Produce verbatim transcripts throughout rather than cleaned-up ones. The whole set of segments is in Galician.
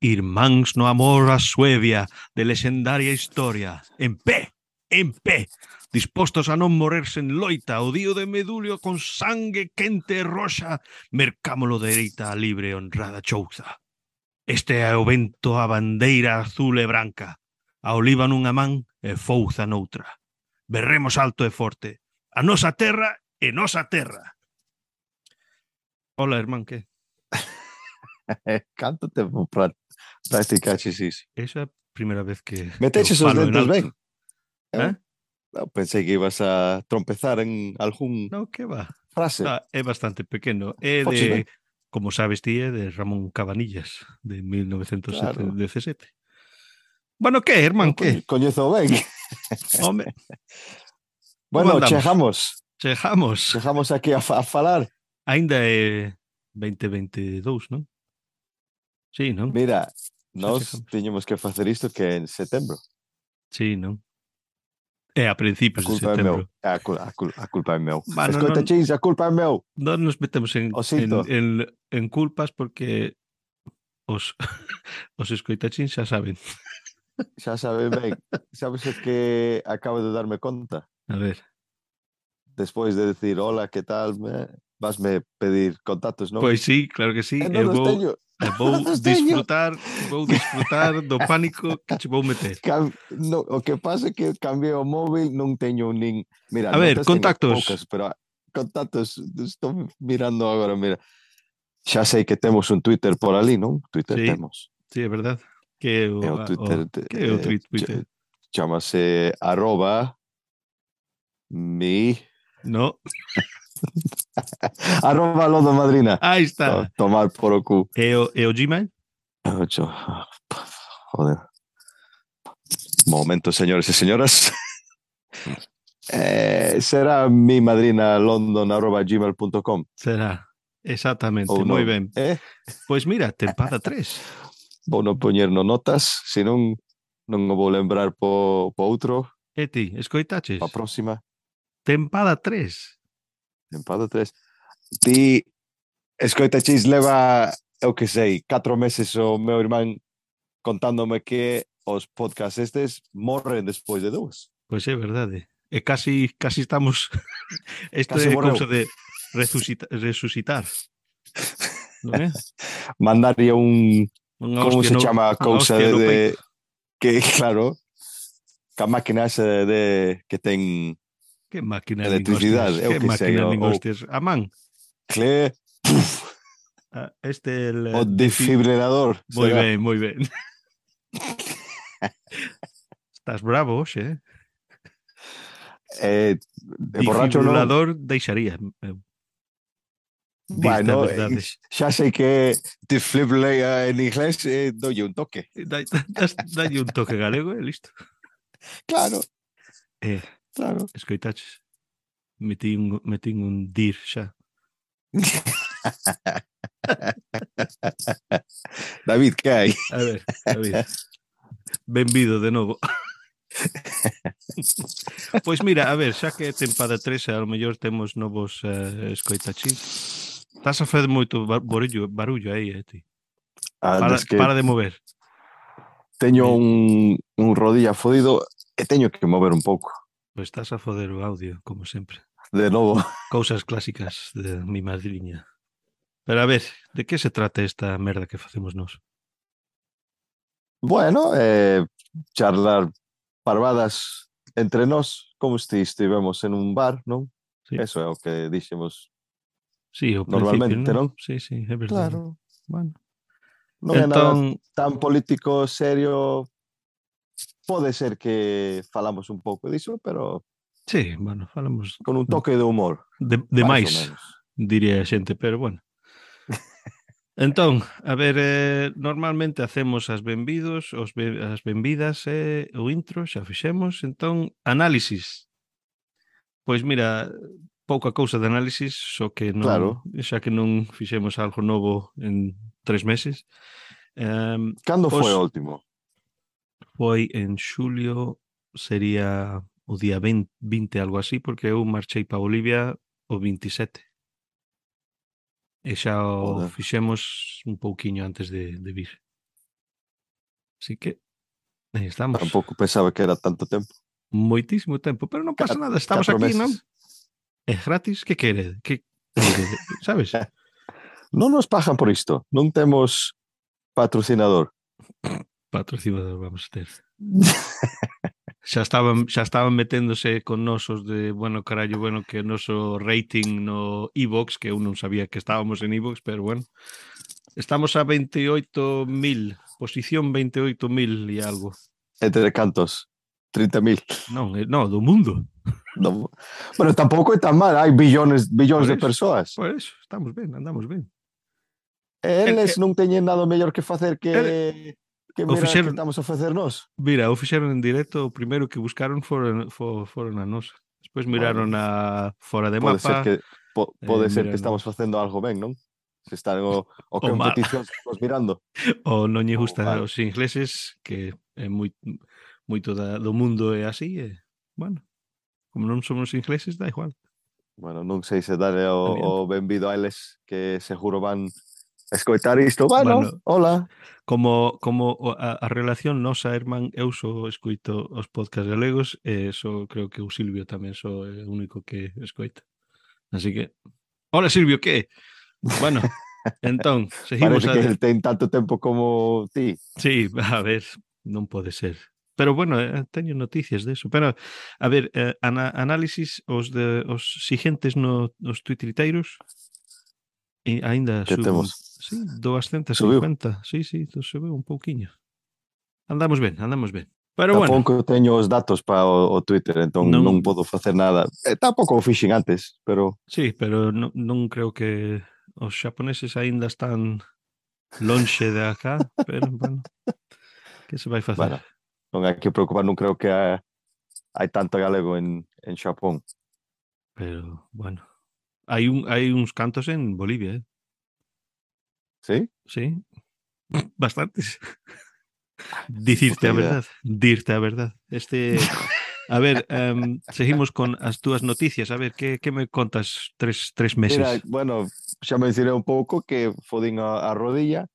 Irmáns no amor a Suevia de lexendaria historia. En pé, en pé, dispostos a non morerse en loita, o dío de Medulio con sangue quente e roxa, mercámolo dereita a libre e honrada chouza. Este é o vento a bandeira azul e branca, a oliva nunha man e fouza noutra. Berremos alto e forte, a nosa terra e nosa terra. Hola, irmán, que? Canto tempo para practicaches iso? Esa é a primeira vez que, que Meteches eu os falo en dentes alto. ben? Eh? Eu pensei que ibas a trompezar en algún No, que va. frase. Ah, é bastante pequeno. É Foches ben? de, como sabes ti, é de Ramón Cabanillas, de mil novecientos Claro. dezasete. Bueno, que, irmán, Eu que? coñezo ben. Home, como Bueno, andamos? chegamos. Chegamos. Chegamos aquí a, fa- a falar. Ainda é veinte veintidous, non? Sí, non? Mira, Xa nós chegamos. tiñemos que facer isto que en setembro. Sí, non? É a A principios de culpa é meu. setembro. A, cul a, cul a culpa é meu. Bueno, Escoita, non, chis, a culpa é meu. non nos metemos en, O en, sinto. en, en culpas porque os, os escoitachín xa saben. Xa sabes ben. Sabes o que acabo de darme conta? A ver. Despois de decir hola, que tal, me... vasme pedir contactos, non? Pois sí, claro que sí. E Eu non os vou, teño. eu vou Non os teño. disfrutar, vou disfrutar do pánico que che vou meter. Cam... No, o que pasa é que cambiei o móvil, non teño nin... Mira, A ver, notas teño contactos. poucas, pero contactos, estou mirando agora, mira. Xa sei que temos un Twitter por ali, non? Twitter Sí, temos. sí, é verdade. Que é o, É o a- Twitter, o, de, que é o eh, tweet, ch Twitter? chamase arroba mi No. arroba Lodo Madrina. Aí To, está. tomar por o cu. É o, é o Gmail? Ocho. Joder. Momento, señores e señoras. eh, será mi madrina london arroba gmail punto com. Será. Exactamente, Ou moi non? ben. Eh? Pois mira, tempada tres. Vou non poñer no notas, senón non o vou lembrar po, po outro, E ti, escoitaches? pa próxima. Tempada tres. Tempada tres. Ti, escoita chis, leva, eu que sei, catro meses o meu irmán contándome que os podcasts estes morren despois de dúas. Pois é verdade. E casi, casi estamos... Isto Casi é morreu. cousa de resucita, resucitar. Non é? Mandaría un... Unha Como hostia se no, chama a unha cousa hostia de, no de... peito. Que, claro, que a máquina esa de... que ten Que máquina nin electricidade, hostias. eu Que que sei, máquina o, nin o hostias. A man. cle... Ah, este é el... O defi... desfibrilador. Moi será? ben, moi ben. Estás bravo hoxe, eh? Eh, e borracho non. Defibrilador deixaría. Eu. Dirte a Bueno, verdade. xa sei que defibrillator en inglés eh, doulle un toque. Dai, dalle un toque galego e listo. Claro, Eh, claro. escoitaches. Metín, metín un dir xa. David, que hai? A ver, David. Benvido de novo. Pois mira, a ver, xa que é tempada tres, a lo mellor temos novos uh, escoitachis. Estás a fazer moito barullo, barullo aí, eh, ti. Para, Antes que para de mover. teño Eh, un, un rodilla fodido e teño que mover un pouco. Pois estás a foder o audio, como sempre. De novo. Cousas clásicas de mi madriña. Pero a ver, de que se trata esta merda que facemos nós? Bueno, eh, charlar parvadas entre nós, como se estivemos en un bar, non? Sí, Eso é o que dixemos sí, ao principio, normalmente, non? non? Sí, sí, é verdade. Claro. Bueno. Non é nada Entón, tan político, serio. Pode ser que falamos un pouco diso, pero sí, bueno, falamos con un toque de humor. de, de máis ou máis, menos. diría a xente, pero bueno. Entón, a ver, eh, normalmente hacemos as benvidos, os be as benvidas e eh, o intro, xa fixemos, entón, análisis. Pois mira, pouca cousa de análisis, só que non, Claro. xa que non fixemos algo novo en tres meses. Um, Cando os, foi o último? Foi en xulio, sería o día veinte, vinte, algo así, porque eu marchei para Bolivia o veintisiete. E xa o Joder. fixemos un pouquiño antes de, de vir. Así que aí estamos. Tampouco pensaba que era tanto tempo. Moitísimo tempo, pero non pasa Cat- nada, estamos Catro aquí, non? meses. É gratis, que quere? Que quere? Sabes? Non nos pagan por isto. Non temos patrocinador. Patrocinador vamos a ter. Xa estaban, xa estaban meténdose con nosos de, bueno, carallo, bueno, que o noso rating no iVoox, que eu non sabía que estábamos en iVoox, pero bueno. Estamos a veintioito mil, posición veintioito mil e algo. Entre cantos? trinta mil. Non, eh, no, do mundo. Non. Bueno, tampouco é tan mal. Hai billones, billones Por de eso, persoas. por eso, estamos ben, andamos ben. El, Eles el, non teñen nada mellor que facer que, el, que o mirar que fixeron, estamos a facer nós. mira, o fixeron en directo, o primeiro que buscaron foron, for, foron a nosa. Despois miraron Bueno, a fora de pode ser mapa, que po, eh, pode ser que miraron estamos facendo algo ben, non? Se están o, o o mal, competicións que estamos mirando. o non lle Ou gusta mal. os ingleses, que é moi, moito da, do mundo é así, e, bueno, como non somos ingleses, da igual. Bueno, non sei se dale o, o Adiante. benvido a eles que seguro van escoitar isto. Bueno, Bueno, hola. como como o- a, a relación nosa, irmán, eu só escoito os podcast galegos e só creo que o Silvio tamén só é o único que escoita. Así que, hola Silvio, que? Bueno, entón, seguimos Parece a que de... el ten tanto tempo como ti. Sí, a ver, non pode ser. Pero bueno, eh, teño noticias de eso. Pero, a ver, eh, ana, análisis os de os siguientes no, os tuitriteiros e aínda Que sube un... temos? Sí, doscientos e Subiu. cincuenta. Sí, sí, subiu un pouquiño. Andamos ben, andamos ben. Pero bueno, Tampouco teño os datos para o, o Twitter, entón non, non podo facer nada. Eh, tampouco o fixen antes, pero sí, pero non, non creo que os xaponeses aínda están lonxe de acá, pero bueno, que se vai facer? bueno, non hai que preocupar, non creo que hai, hai tanto galego en, en Xapón. Pero bueno, hai un hai uns cantos en Bolivia, eh? Sí? Sí, bastantes. Dicirte Puta a idea. verdade, dirte a verdade. Este, a ver, um, seguimos con as túas noticias. A ver, que, que me contas tres, tres Mira, meses? bueno, xa mencionei un pouco que fodín a, a rodilla.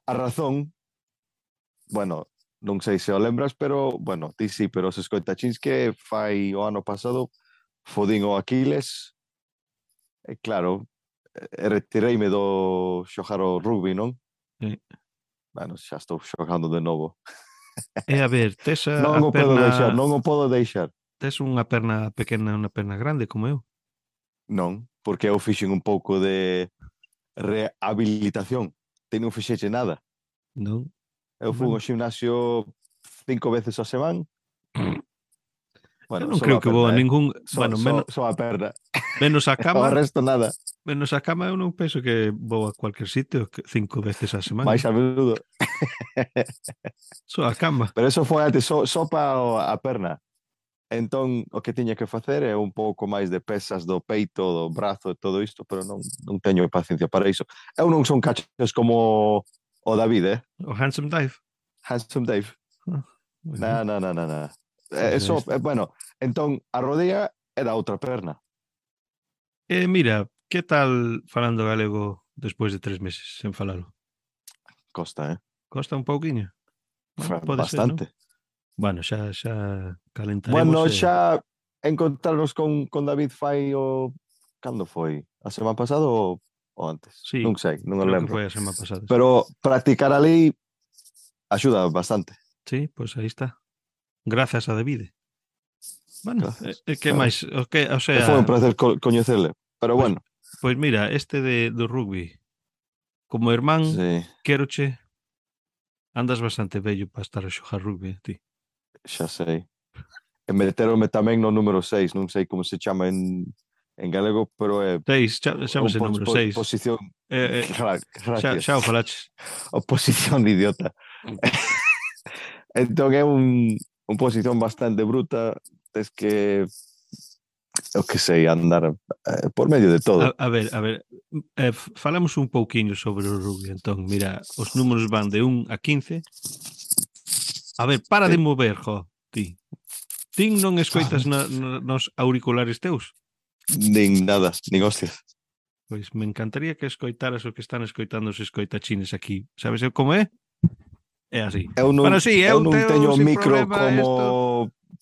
A razón, bueno, non sei se o lembras, pero, bueno, ti sí, pero os escoitachins que fai o ano pasado fodín o Aquiles. E claro, e retireime do xogar o rugby, non? Eh, Bueno, xa estou xogando de novo. E a ver, tes a, Non a o podo deixar, perna, non o podo deixar. tes unha perna pequena e unha perna grande como eu? Non, porque eu fixen un pouco de rehabilitación. Ti non fixeche nada. Non? Eu fui ao Bueno, gimnasio cinco veces a semana. eu Bueno, non só creo a que vou a perna, eh? ningún, Só, bueno, só, menos, só a perna. menos a O cama, resto nada. menos a cama eu non penso que vou a cualquier sitio que cinco veces a semana. Mais a menudo. Só a cama. Pero eso foi antes, só, só para a perna. Entón, o que tiña que facer é un pouco máis de pesas do peito, do brazo e todo isto, pero non, non teño paciencia para iso. Eu non son cachos como o David, eh? O handsome dive. Handsome Dave. Ah, moi Na, ben. na, na, na, na. Pois Eh, aí Eso, está. eh, bueno, entón, a rodilla é da outra perna. E mira, que tal falando galego despois de tres meses sen falalo? Costa, eh? Costa un pouquiño? Bueno, Fa pode ser, non? bastante. Bueno, xa xa calentaremos Bueno, e xa encontrarnos con, con David fai o... Cando foi? A semana pasada ou, ou antes? sí, Non sei, non o creo que lembro. foi a semana pasada. Sí, Pero practicar ali axuda bastante. sí, pois aí está. Grazas a David. Bueno, e, Gracias. e que Nada. máis? O que, o E foi un sea, placer co coñecerle. Pero pois, bueno, pois mira, este de, do rugby, como irmán, sí, queroche, andas bastante vello para estar a xogar rugby, ti. xa sei. E meterome tamén no número seis, non sei como se chama en, en galego, pero é Seis, xa, o chámase pos, número po, seis. posición. Eh, eh, Gra- xa, Gracias. xa o falaches. O posición de idiota. Entón é un, un posición bastante bruta, tes que eu que sei, andar eh, por medio de A, todo. a ver, a ver, eh, falamos un pouquiño sobre o rugby, entón, mira, os números van de un a quince. A ver, para de Sí. mover, jo, ti. Tin non escoitas na, na, nos auriculares teus? Nin nada, nin hostias. Pois me encantaría que escoitaras o que están escoitando os escoitachines aquí. Sabes eu como é? É así. Eu non, Pero sí, eu eu non teo teño sin micro problema como esto.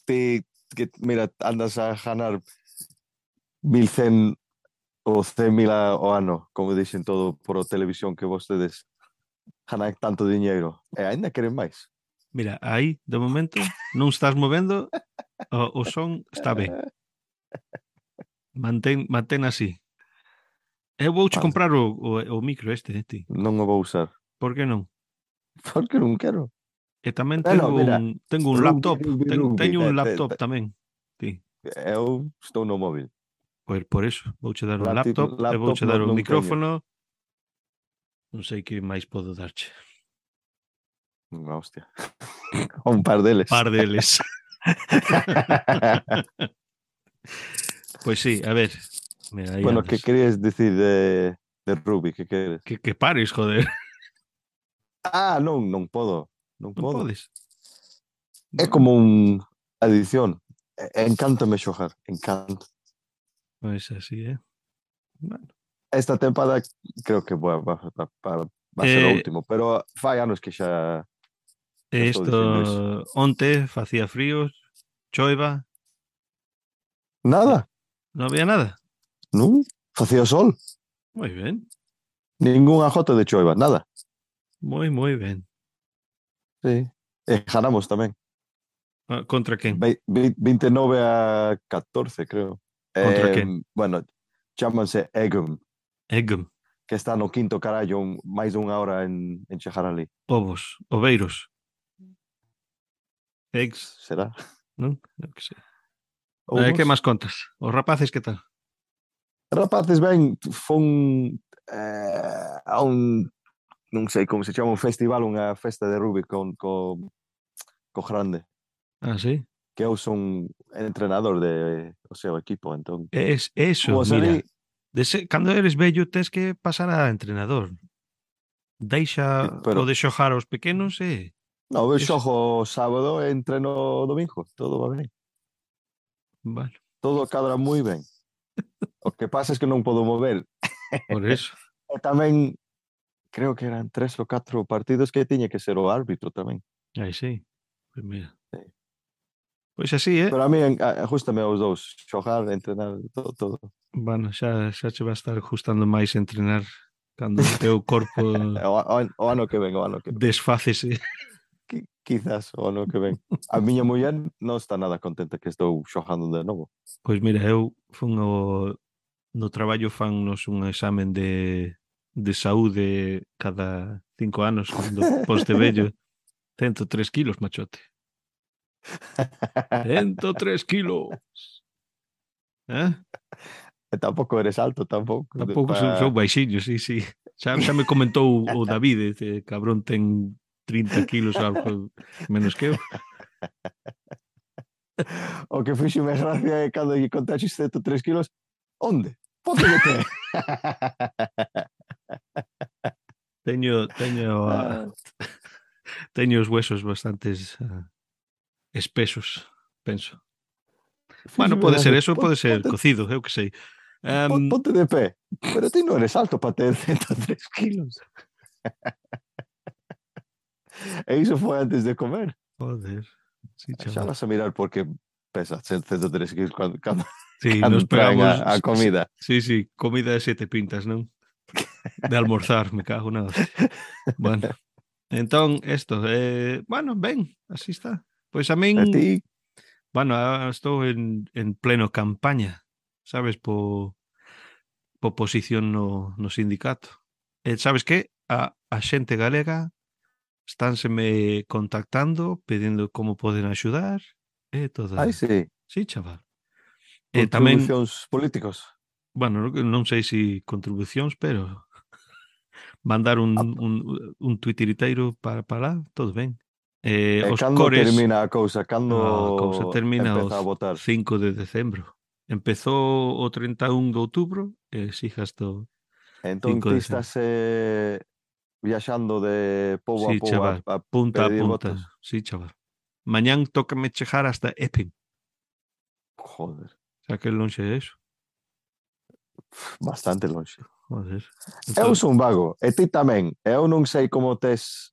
ti, que, mira, andas a ganar mil cen ou cen mil ao ano, como dixen todo por televisión que vostedes ganan tanto diñeiro. E ainda queren máis. Mira, aí, de momento, non estás movendo, o, o son está ben. Mantén, mantén así. Eu vouche Vale, comprar o, o, o micro este, eh, ti. non o vou usar. Por que non? Porque non quero. E tamén Bueno, tengo mira, un tengo un rugby, laptop, rugby, ten, rugby. teño Te, un te, laptop te, tamén. Ti. eu estou no móvil. Pois por eso, vouche dar un Laptop, laptop e laptop vouche non, dar o non teño. micrófono. Non sei que máis podo darche. Unha hostia. Un par deles. Par deles. Pois sí, a ver. Mira, aí Bueno, que andas. querías decir de, de rugby? Que queres? Que, que pares, joder. Ah, non, non podo. Non Non podo. podes. É Bueno, como un adición. Encántame xogar, encanto. pois así, é. Bueno. Esta tempada creo que va, va, va, va, va a ser o Eh, último, pero fai anos que xa, xa estou Isto dicindo iso. onte facía frío, choiva, eh, Nada, non había nada. non? Facía sol, Moi ben, ningunha jota de choiva, nada. moi, moi ben. Sí. E ganamos tamén. Ah, contra quen? Ve- ve- vinte e nove a catorce, creo. Contra Eh, quen? bueno, chámanse Egum, Eggum, que está no quinto carallo, un, máis dunha hora en, en chegar ali. ovos, oveiros, eggs, Será? non? Eu que sei. Eh, que Ovos? máis contas? Os rapaces que tal? Rapaces, ben, fun eh, a un, non sei como se chama, un festival, unha festa de rugby con, con, co grande, Ah, sí? que eu son entrenador de o seu equipo, entón, Es eso, fomos ali, mira. Dese, cando eres vello tes que pasar a entrenador. Deixa o pero de xogar aos pequenos e no, eu es, xogo sábado e entreno domingo, todo va ben, bueno, todo cadra moi ben. O que pasa é que non podo mover. por eso. E tamén, creo que eran tres ou catro partidos que tiña que ser o árbitro tamén. Aí sí. Pois mira. Sí. Pois así, é. Pero a mí ajustame aos dous, xogar, entrenar, todo, todo. Bueno, xa, xa che vai estar gustando máis entrenar cando o teu corpo O, o, o ano que ven, o ano que ven. desfácese. Qui- Quizás o ano que ven. A miña muller non está nada contenta que estou xogando de novo. Pois mira, eu fun o, no traballo fannos un examen de, de saúde cada cinco anos cando poste vello. Cento tres kilos, machote. Cento tres kilos. Eh? E tampouco eres alto, tampouco. de- Tampouco sou, sou Pa... baixinho, sí, sí. Xa, xa me comentou o David, ese cabrón ten trinta kilos algo menos que eu. O que fixo-me gracia é cando lle contaxes ciento tres kilos. Onde? Ponte de pé. Teño, teño, ah, teño os huesos bastantes ah, espesos, penso. Bueno, Fíxome pode ser gracia. eso, Pon- pode ser Ponte, cocido, eu que sei. pon- Um, ponte de pé. Pero ti non eres alto para ter ciento tres kilos. E iso foi antes de comer. joder, sí, Xa chaval. vas a mirar porque pesa ciento tres kilos cando, cando, Sí, cando nos traen pegamos, a, a comida. sí, sí, comida de sete pintas, non? De almorzar, me cago na hostia. Bueno, entón, esto, eh, bueno, ben, así está. Pois a A min, ti, bueno, ah, estou en, en pleno campaña, sabes, po, po posición no, no sindicato. E sabes que? A, a xente galega estánseme contactando, pedindo como poden axudar, e ai toda... sí, Sí, chaval. E tamén, contribucións políticos. bueno, non non sei se contribucións, pero mandar Ah, un, un, un tuitiriteiro para, para lá, todo ben. Eh, e os cando cores, termina a cousa? a cousa Cando termina o empeza a votar? cinco de decembro. Empezou o treinta e un de outubro e sigue hasta o Entón cinco ti de decembro. estás eh, viaxando de pobo a Sí, pobo a, chaval, a punta a pedir votos? punta. Sí, chaval. Mañán tócame chegar hasta Epping. Joder, Xa que lonxe é eso. bastante lonxe. Joder. Eu Entón, son vago, e ti tamén. Eu non sei como tes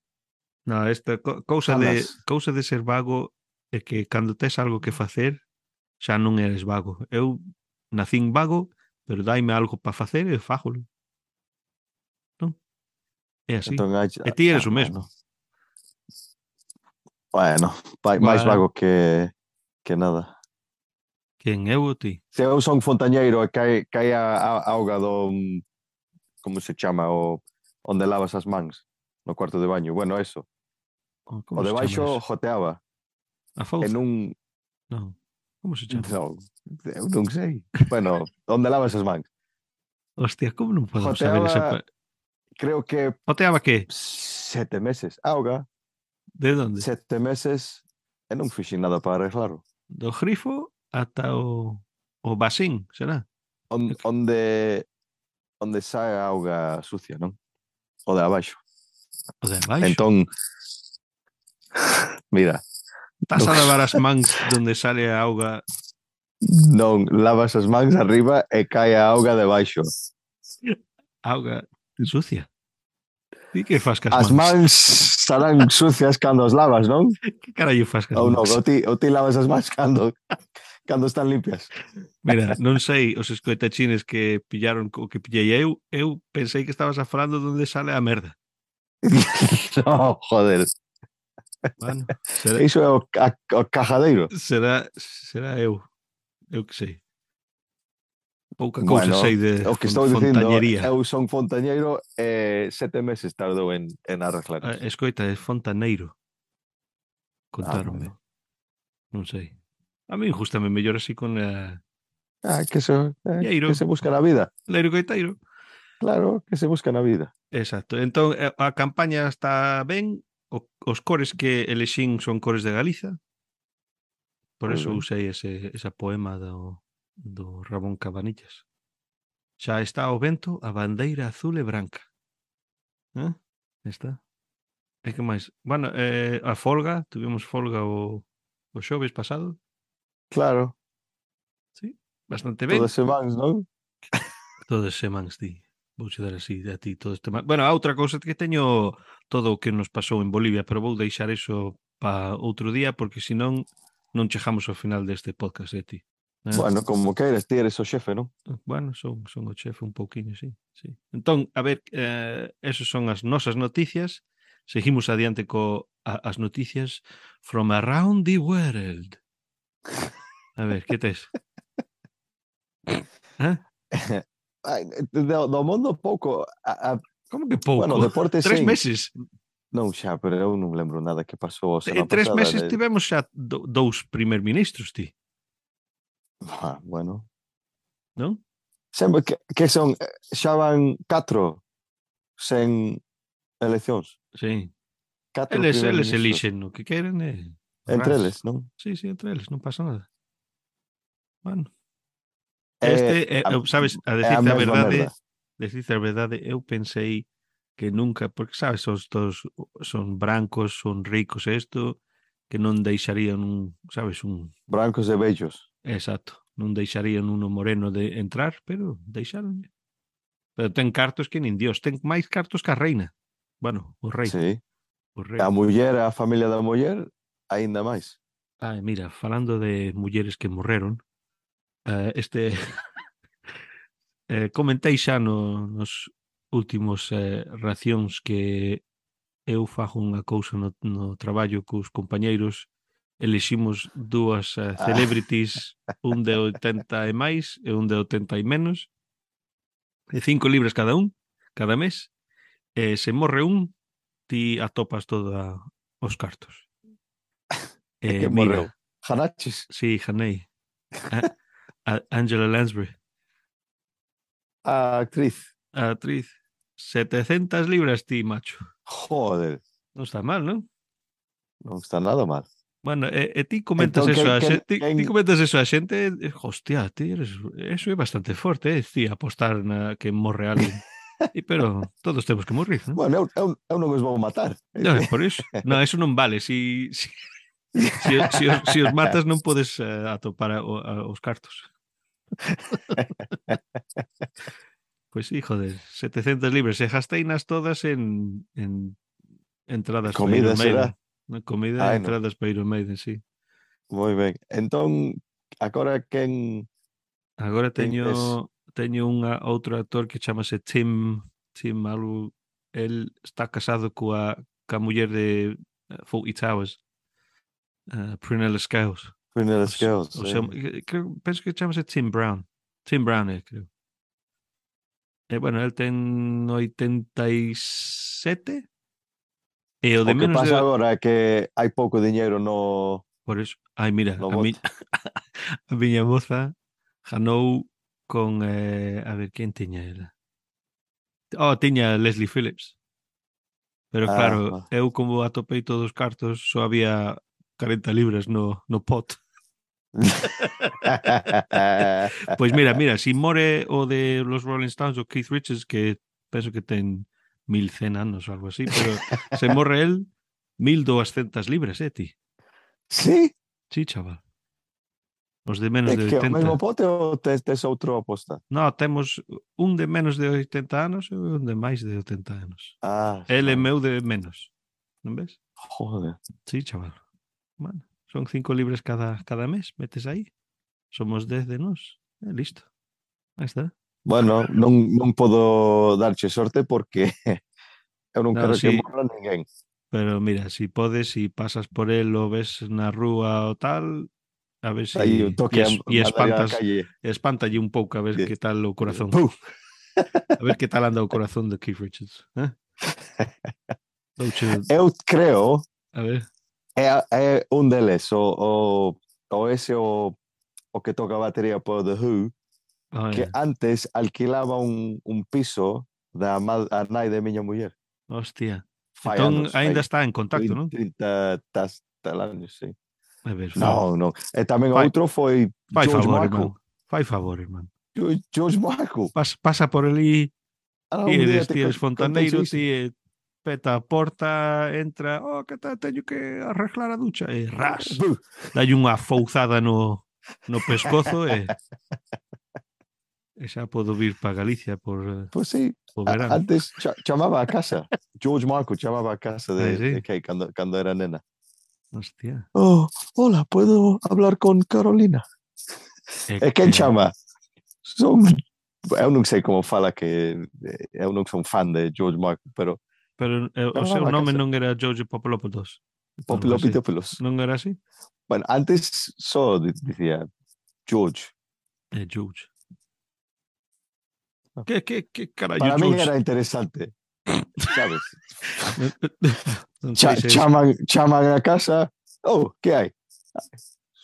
No, esta co- cousa de Falas. cousa de ser vago é que cando tes algo que facer xa non eres vago. Eu nacín vago, pero daime algo para facer e fágolo, non? É así. Entón, hai... E ti ah, eres o mesmo. bueno, bueno, vai- máis Bueno, vago que, que nada. quen eu ou ti? Se eu son fontañeiro e cae, cae a, a auga do, como se chama, o onde lavas as mans, no cuarto de baño. Bueno, eso. Oh, O como se de chama baixo eso? joteaba A e fouza? nun... Non. Como se chama? Non, eu non sei. Bueno, onde lavas as mans. Hostia, como non podemos saber esa... Joteaba, pa- creo que Oteaba que? sete meses. Auga, De onde? sete meses e non fixen nada para arreglaro. Do grifo ata o, o basín, será? On, onde onde sae a auga sucia, non? O de abaixo. O de abaixo. Entón, mira, Estás non, a lavar as mans donde sale a auga. non lavas as mans arriba e cae a auga de baixo. Auga sucia. Ti que fas cas As mans? mans estarán sucias cando as lavas, non? Que carallo fas cas Ou non, mans? ou ti, ou ti lavas as mans cando, cando están limpias. Mira, non sei os escoitachines que pillaron o que pillei eu, eu pensei que estabas a falando donde sale a merda. No, joder. Bueno, será, Iso é o, ca, o cajadeiro. será, será eu. Eu que sei. Pouca cousa Bueno, sei de o que fon, estou dicindo, fontañería. eu son fontañeiro e sete meses tardou en, en arreglar Ah, isto. escoita, é fontaneiro. Ah, Contáronme. bueno. Non sei. A mí gustame mellor así con a... Ah, que se, eh, que Lleiro. se busca na vida. Leiro coiteiro. Claro, que se busca na vida. Exacto. Entón, eh, a campaña está ben. O, os cores que elexín son cores de Galiza. Por Moi eso ben. usei ese, esa poema do, do Ramón Cabanillas. Xa está ao vento a bandeira azul e branca. Eh? Está. E que máis? Bueno, eh, a folga, tuvimos folga o, o xoves pasado. Claro, Sí, bastante ben. todas se mans, non? Todas semanas, ti. Vouche dar así a ti todo este... ma- Bueno, a outra cousa que teño todo o que nos pasou en Bolivia, pero vou deixar eso para outro día, porque senón non chegamos ao final deste podcast de ti. Eh? Bueno, como queres, ti eres o xefe, non? Bueno, son, son o chefe un pouquiño, sí, sí. Entón, a ver, eh, esas son as nosas noticias. Seguimos adiante co a, as noticias from around the world. A ver, que tes? Eh? Ai, do, do mundo pouco. A, a, Como que pouco? bueno, deporte Tres sim. meses. Non xa, pero eu non lembro nada que pasou a En semana tres pasada. meses De... tivemos xa do, dous primer ministros, ti, Ah, bueno. non? Sempre que, que son, eh, xa van catro sen eleccións. Sí. Catro Eles, primer eles ministros. elixen o que queren e Entre ras. eles, non? Sí, sí, entre eles, non pasa nada. Bueno. É Este, eh, a, eu, sabes, a é a decirte a mesma verdade, merda. decirte a verdade, eu pensei que nunca, porque sabes, son todos son brancos, son ricos isto, que non deixarían un, sabes, un Brancos e bellos. exacto, non deixarían uno moreno de entrar, pero deixaron. Pero ten cartos que nin Dios, ten máis cartos que a reina. Bueno, o rei, Sí. o A rei. muller, a familia da muller, aínda máis. Ah, mira, falando de mulleres que morreron, eh, este eh, comentei xa no, nos últimos eh, racións que eu fago unha cousa no, no traballo cos compañeiros, eliximos dúas uh, Ah, celebrities, un de oitenta e máis e un de oitenta e menos, de cinco libras cada un, cada mes, e se morre un, ti atopas toda os cartos. é E que morreu. mira, Hanachis. sí, Janei, a, a Angela Lansbury, A actriz. a actriz, setecentas libras ti, macho. Joder, Non está mal, non? non está nada mal. Bueno, e, e ti comentas Entón, eso quen, a quen, xente, ti, quen... ti comentas eso a xente, e, hostia, ti eres, eso é bastante forte, eh, ti apostar na que morre alguén. E, pero todos temos que morrer, non? Bueno, eu, eu, eu non os vou matar. Non, é por iso. Non, eso non vale. Si, si, si, si, os, si os matas non podes uh, atopar a, a, os cartos. Pois pues sí, joder, setecentas libras. E gasteinas todas en, en Entradas para Comida Iron Maiden. será? Na comida e Ai, non. entradas para Iron Maiden, sí. Moi ben. Entón, agora quen Agora quen ves? teño teño unha outro actor que chamase Tim Tim algo, el está casado coa ca muller de uh, Fawlty Towers, uh, Prunella Scales. Prunella O, se- Scales, o eh. seu, creo, penso que chamase Tim Brown. Tim Brown, é, creo. E, bueno, el ten oitenta e sete e o O de que menos pasa de... agora é que hai pouco diñeiro no Por eso, ai, mira, no a, mi, bote. a miña moza janou con, eh, a ver, quen tiña ela? Oh, tiña Leslie Phillips. Pero Ah, claro, va. eu como atopei todos os cartos, só había cuarenta libras no, no pot. Pois mira, mira, si more o de los Rolling Stones o Keith Richards, que penso que ten mil cien anos ou algo así, pero se morre el, mil doscientas libras, eh, ti? Sí? Sí, chaval. Os de menos É de que o mesmo oitenta. pote ou tes, tes outro aposta? No, temos un de menos de oitenta anos e un de máis de oitenta anos. Ah, El é vale. meu de menos, non ves? Joder. Sí, chaval. Bueno, son cinco libras cada, cada mes, metes aí. Somos dez de nós. E listo. Aí está. Bueno, non, non podo darche sorte porque eu non No, quero que sí, morra ninguén. pero mira, si podes, si pasas por el o ves na rúa o tal, a ver Aí un si... toque E, a es, e mandaría á espantas, calle. espántalle un pouco a ver Que, que tal o que, corazón. ¡puf! A ver que tal anda o corazón de Keith Richards. Eh? Douche, Eu creo a ver. é, é un deles, o, o, o ese o, o que toca a batería por The Who, Oh, que yeah. antes alquilaba un, un piso da ma- a nai de miña muller. Hostia. Fai Entón, anos, aínda fai está en contacto, non? trinta tas, tal anos, sí. A ver, fa, Non, non. E tamén fai, outro foi fai George favor, Michael. irmán. Fai favor, irmán. George, George Michael. Pas, pasa por ali, Ah, ti un día eres, te ti eres conteis fontaneiro, iso. ti eh, peta a porta, entra, oh, que tal, teño que arreglar a ducha, e ras, Buh. dalle unha fouzada no, no pescozo e, e xa podo vir para Galicia por, eh, Pois sí, por a- verán. antes cha- chamaba a casa. George Michael chamaba a casa Ai, de, sí, de Kate cando, cando era nena. hostia. Oh, hola, ¿puedo hablar con Carolina? É E quen que, chama? Son... Eu non sei como fala que eh, eu non son fan de George Michael, pero pero eh, o seu chamaba a nome casa. non era George Popolopoulos, algo así. Popilopitopoulos. Non era así? Bueno, antes só di- dicía George. É George. Que, que, que carallo, Para min George? era interesante, sabes? Non sei Cha se es... chaman, chaman a casa. Oh, que hai?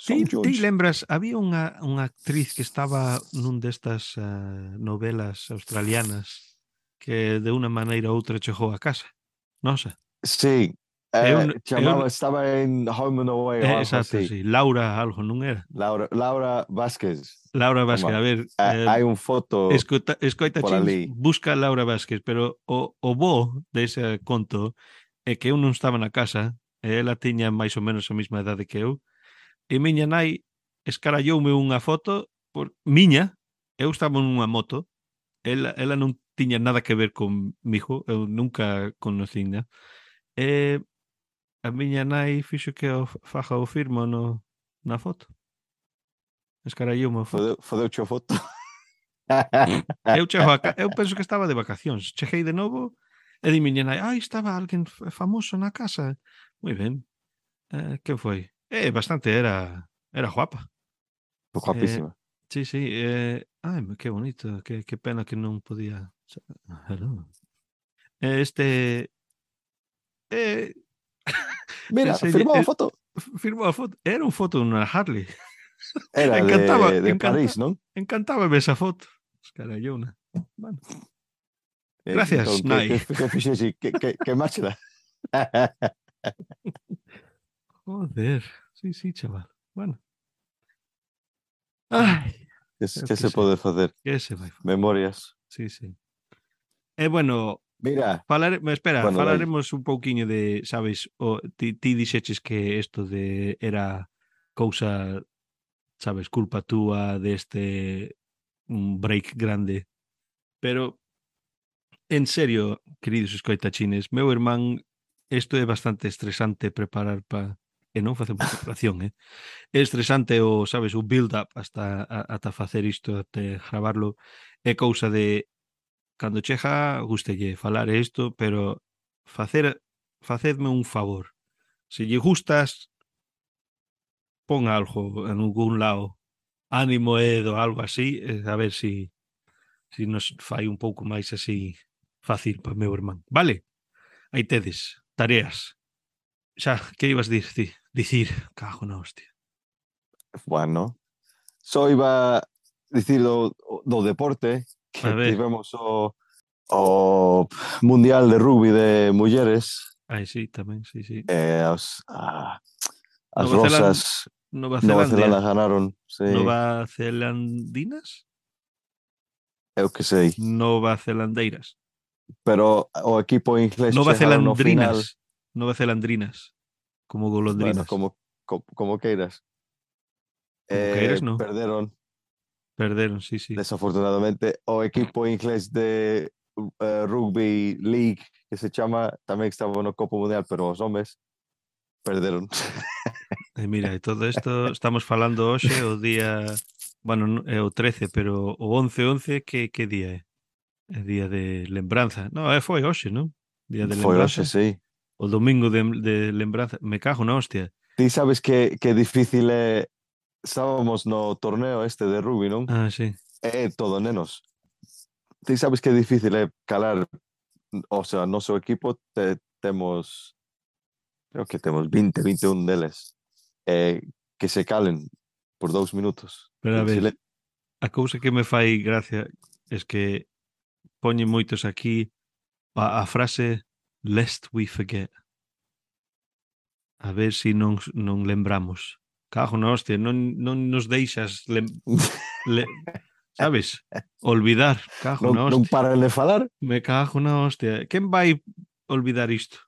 Ti, Son ti George. lembras, había unha, unha actriz que estaba nun destas uh, novelas australianas que de unha maneira ou outra chegou a casa. Nosa. Sí, Eu, eh, eu, chamaba, estaba en Home and Away ou é, algo exacto, así. sí. Laura algo, non era? Laura, Laura Vázquez. Laura Vázquez, Toma, a ver, ha- eh, hai un foto escoita, escoita por chins, ali. busca a Laura Vázquez, pero o, o bo dese conto é que eu non estaba na casa e ela tiña máis ou menos a mesma idade que eu e miña nai escaralloume unha foto por miña, eu estaba nunha moto, ela, ela non tiña nada que ver comigo, eu nunca conocína. E a miña nai fixo que o faja o firmo no, na foto. Escaralloume a foto. Fodeu, fodeuche a foto. Eu chego a ca... eu penso que estaba de vacacións. Cheguei de novo e di miña nai, ai, estaba alguén famoso na casa. Moi ben. Eh, que foi? Eh, bastante, era era guapa. Eh, Guapísima. sí, sí, eh, ai, que bonito, que, que pena que non podía. Hello. Este eh, Mira, enseñe, firmou a eh, foto. firmou a foto. Era un foto dunha Harley. Era encantaba, de, de encanta, París, non? encantaba esa foto. Escarallona. Bueno. Eh, Gracias, entón, que, Nai. que, que fixexe? Que, que, que máchela? Joder, sí, sí, chaval. Bueno. Ai, Que, eu que que se sei. pode facer? Que se vai facer? Memorias. Sí, sí. E bueno, Mira, falare, espera, bueno, dai. falaremos un pouquiño de, sabes, o, ti, ti dixeches que isto de era cousa, sabes, culpa túa deste un break grande. Pero, en serio, queridos escoitachines, meu irmán isto é bastante estresante preparar para... E non facemos preparación, eh? É estresante o, sabes, o build-up hasta a, ata facer isto, até gravarlo. É cousa de, cando chega, gústelle falar isto, pero facer, facedme un favor. Se lle gustas, pon algo en algún lado, ánimo Edo, algo así, eh, a ver si, si nos fai un pouco máis así fácil para meu irmán. Vale? Aí tedes, tareas. Xa, que ibas dicir? Dicir, cago na hostia. Bueno, só iba a dicir do, do deporte A que ver, tivemos o, o Mundial de Rugby de Mulleres. aí sí, tamén, sí, sí. eh, as, a, as Nova Zeland, Rosas Nova Nova Zelanda Zelandia, ganaron, sí, Nova Zelandinas, eu que sei. Nova Zelandeiras, Pero o equipo inglés Nova chegaron ao final, Zelandrinas, Nova Zelandrinas, como bueno, golondrinas. como, como, como queiras. Como queiras, Eh, no. perderon, Perderon, sí, sí. desafortunadamente, o equipo inglés de eh, Rugby League, que se chama, tamén estaba no Copa Mundial, pero os homes perderon. E mira, e todo isto estamos falando hoxe o día, bueno, non- é o trece, pero o once once que que día é? É día de lembranza. No, é foi hoxe, non? Día de Foi hoxe, lembranza. sí. O domingo de, de lembranza. Me cago na hostia. Ti sabes que, que difícil é, estábamos no torneo este de rugby, non? Ah, sí. É todo nenos. Ti sabes que difícil é calar, o sea, noso equipo te, temos, creo que temos veinte, veintiún deles, eh, que se calen por dous minutos Pero a en ver, silencio. a cousa que me fai gracia es que poñen moitos aquí a, a frase lest we forget. A ver se si non, non lembramos. Cago na hostia, non, non nos deixas lem, le, sabes? Olvidar, cago non, na non hostia. paran de falar. Me cago na hostia. Quen vai olvidar isto?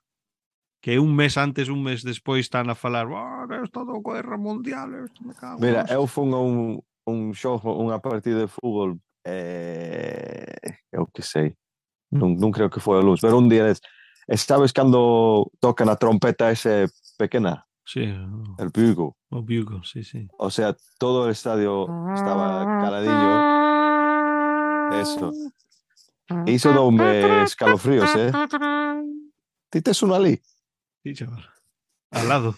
Que un mes antes, un mes despois están a falar oh, esto do guerra mundial, isto me cago na Mira, eu hostia. fun a un, un xogo, unha partida de fútbol, eh, eu que sei, non, non creo que foi a luz, pero un día es, sabes cando tocan a trompeta ese pequena, Sí, o, el bugle, o bugle, sí, sí. o sea, todo el estadio estaba caladiño, eso, e iso doume escalofríos, eh? Ti tes un ali? Sí, chaval. Al lado.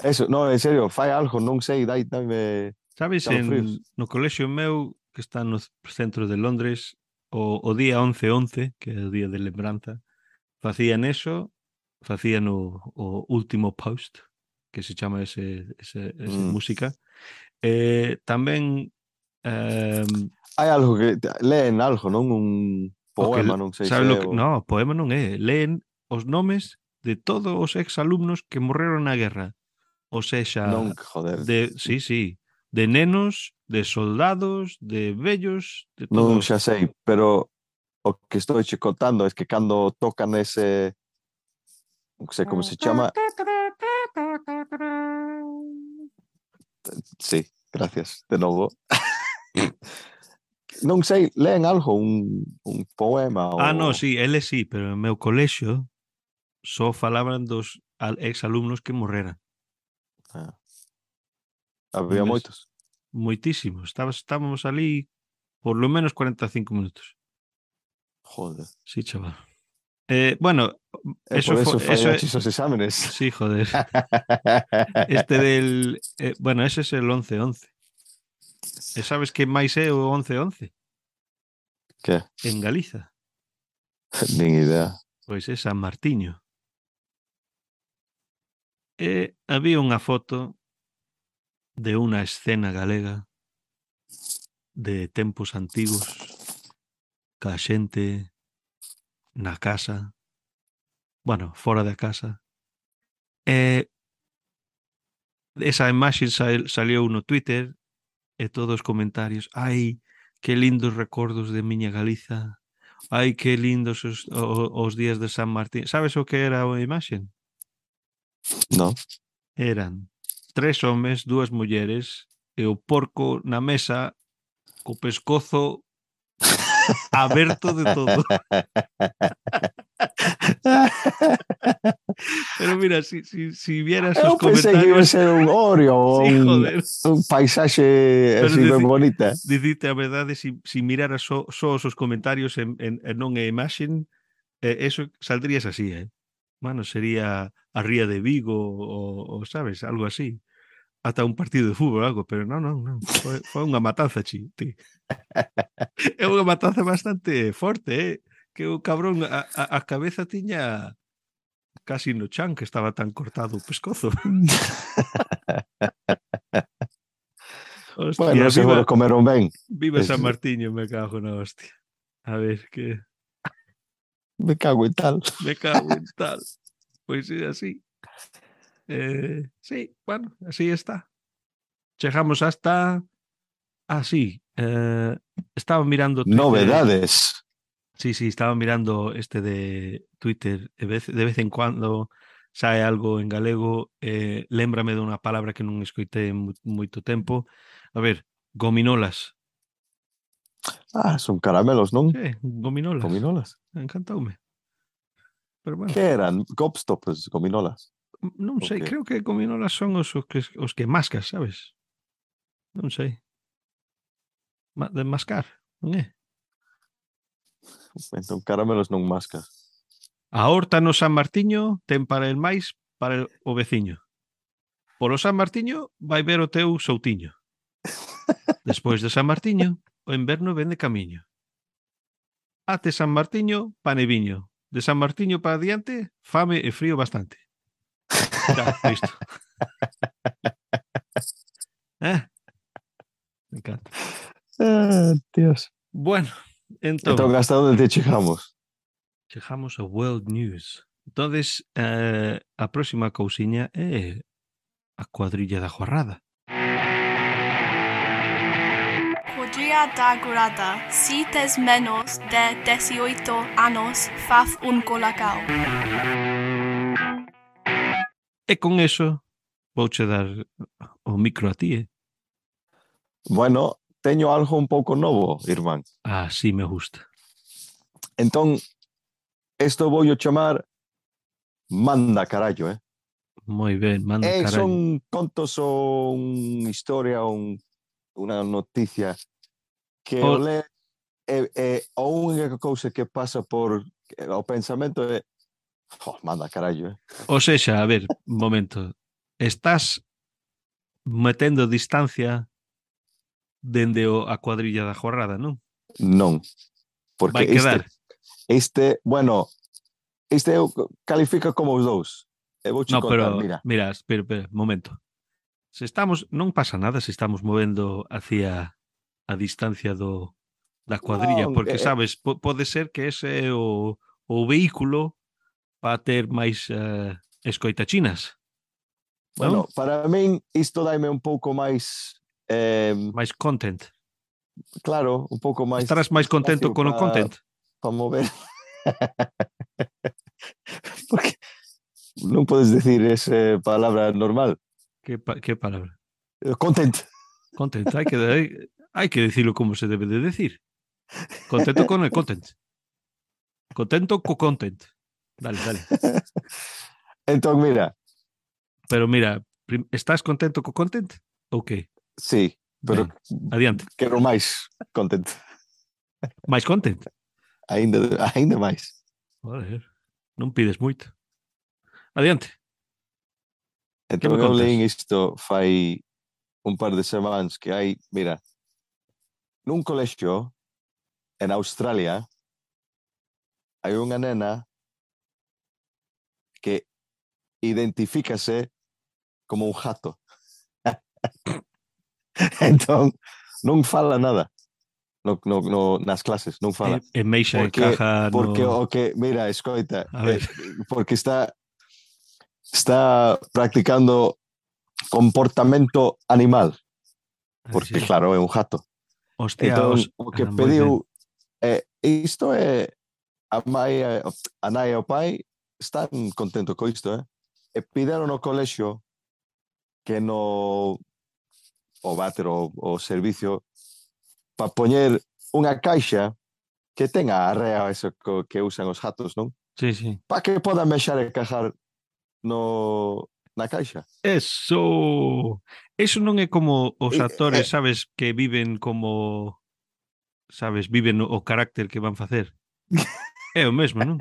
Eso, no, en serio, fai algo, non sei, dai, dame Sabes, escalofríos. en, no colexio meu, que está no centro de Londres, o, o día once once, que é o día de lembranza, facían eso, facían o, o último post, que se chama ese, ese, ese Mm. música. Eh, tamén eh, Hai algo que leen algo, non? Un o que, poema, non sei sabe se lo é que, o... no, poema non é, leen os nomes de todos os exalumnos que morreron na guerra. O sexa, Non, joder, de, sí, sí, de nenos, de soldados, de vellos, de non xa todos. sei, pero o que estou che contando é que cando tocan ese, non sei como se chama, sí, gracias, de novo. Non sei, leen algo, un, un poema Ah, no, ou... sí, ele sí, pero en meu colexio só falaban dos al- exalumnos que morreran. Ah, había Entonces, moitos. moitísimos. Estabas, estábamos ali por lo menos cuarenta y cinco minutos. Joder. Sí, chaval. Eh, bueno, E eso por fue, eso eso é, fallaches os exámenes. sí, joder. Este del, eh, bueno, ese es el once once. E sabes que máis é o once once? Que? En Galiza. Nin idea. Pois é San Martiño. E había unha foto de unha escena galega de tempos antigos ca xente na casa, bueno, fora da casa. E esa imaxe sal, saliu no Twitter e todos os comentarios, ai, que lindos recordos de miña Galiza, ai, que lindos os, os, os días de San Martín. Sabes o que era a imaxe? Non? Eran tres homes, dúas mulleres e o porco na mesa co pescozo aberto de todo. Pero mira, si, si, si vieras Eu os pensei que iba a comentarios... ser un Oreo ou Sí, un, joder. un paisaxe Pero así ben dici, bonita. dicite a verdade, si, si miraras só, só os comentarios en, en, en non a imaxen, eh, eso saldrías así, eh? Mano, sería a Ría de Vigo ou, sabes, algo así. Ata un partido de fútbol, algo, pero non, non, non. Foi, foi unha matanza, chi, ti. É unha matanza bastante forte, eh? Que o cabrón, a, a, a cabeza tiña casi no chan, que estaba tan cortado o pescozo. Hostia, Bueno, seguro viva, comeron ben. viva Es, San Martiño, me cago na hostia. A ver, que me cago en tal. me cago en tal. Pois é así. Eh, sí, bueno, así está. Chegamos hasta... Ah, sí. Eh, estaba mirando Twitter. Novedades. Sí, sí, estaba mirando este de Twitter. De vez, de vez en cuando sae algo en galego. Eh, lémbrame de unha palabra que non escoitei en mu- moito tempo. A ver, gominolas. Ah, son caramelos, non? Sí, gominolas. Gominolas. Encantoume. Pero bueno, Que eran? Gobstoppers, gominolas. non O sei, que? creo que gominolas son os, os que os que mascas, sabes? Non sei. Ma- de mascar, non é? Entón, caramelos non mascas. A horta no San Martiño ten para el máis para el, o veciño. Polo San Martiño vai ver o teu soutiño. Despois de San Martiño, o inverno vende camiño. Até San Martiño, pan e viño. De San Martiño para adiante, fame e frío bastante. Xa, listo. Eh? Me encanta. Ah, Dios. Bueno, entón, Entón, hasta onde te chegamos? chegamos ao World News. Entonces, eh, a próxima cousiña é a cuadrilla da jorrada. Cuadrilla da Guarda. Si tes menos de dieciocho anos, faz un colacao. E con eso, vouche dar o micro a ti, eh? Bueno, teño algo un pouco novo, irmán. Ah, sí me gusta. Entón, isto vou chamar Manda carallo, eh? Moi ben, manda E carallo. son contos ou unha historia ou un, unha noticia que O- o le e, e a única cousa que pasa por o pensamento é oh, manda carallo, eh? Ou sexa, a ver, un momento. Estás metendo distancia dende o, a cuadrilla da jorrada, non? Non, porque Vai quedar. este, este, bueno, este eu califica como os dous. E vou No, contar, pero, mira. mira, espera, espera, momento. Se estamos, non pasa nada se estamos movendo hacia a distancia do da cuadrilla, Non, porque eh, sabes, po, pode ser que ese é o, o vehículo para ter máis uh, escoitachinas, non? bueno, para min isto daime un pouco máis eh, Máis content. claro, un pouco máis Estarás máis contento con o pa, content. pa mover. Porque non podes decir esa palabra normal. Que, pa, que palabra? Content. Content, hai que, hai, hai que decirlo como se debe de decir. Contento con el content. Contento co content. Dale, dale. Entón, mira, Pero mira, prim- estás contento co content? Ou que? sí, pero Ben, adiante. quero máis content. Máis content? Ainda, ainda máis. Joder, non pides moito. Adiante. Entón, me eu contas? leín isto fai un par de semanas que hai, mira, nun colexio en Australia hai unha nena que identifícase como un jato. Entón, non fala nada no, no, no, nas clases, non fala. E, e Meixa Porque, encaja porque no... o que, mira, escoita, A ver. eh, porque está está practicando comportamento animal, porque Así. claro, é un jato. Hostia, Entón, os... o que ah, moi ben. pediu é, isto é a mai, a nai e o pai están contentos co isto, eh? E pideron no colexio que no o váter o, o servicio para poñer unha caixa que tenga a arrea eso que usan os jatos, non? Sí, sí. para que poda mexar e cajar no, na caixa. Eso. Eso non é como os E, actores, e, sabes, que viven como, sabes, viven o carácter que van facer. É o mesmo, non?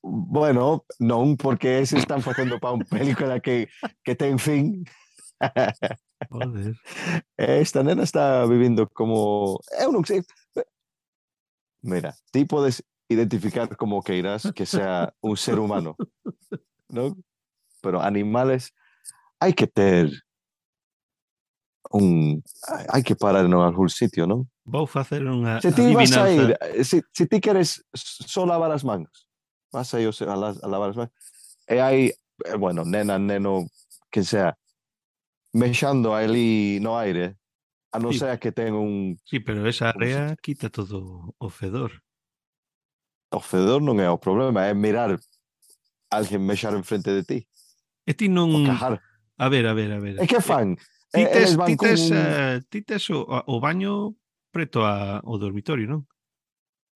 bueno, non, porque ese están facendo para unha película que, que ten fin. Joder. Esta nena está vivindo como... Eu non sei... Mira, ti podes identificar como queiras que sea un ser humano, non? Pero animales hai que ter un... hai que parar en algún sitio, non? Vou facer unha Se ti vas a ir, adivinanza. se, se ti queres só lavar as mans, vas a ir a, la- a lavar as mans, e hai, eh, bueno, nena, neno, que sea, mexando ali no aire, a non Sí, ser que ten un, sí, pero esa un area quita todo o fedor. o fedor non é o problema, é mirar alguén mexar en frente de ti, E ti non... o cajar. A ver, a ver, a ver. E que Eh, fan? ti E- tes, Eles ti van con tes, un... eh, ti tes o, o baño preto a, ao dormitorio, non?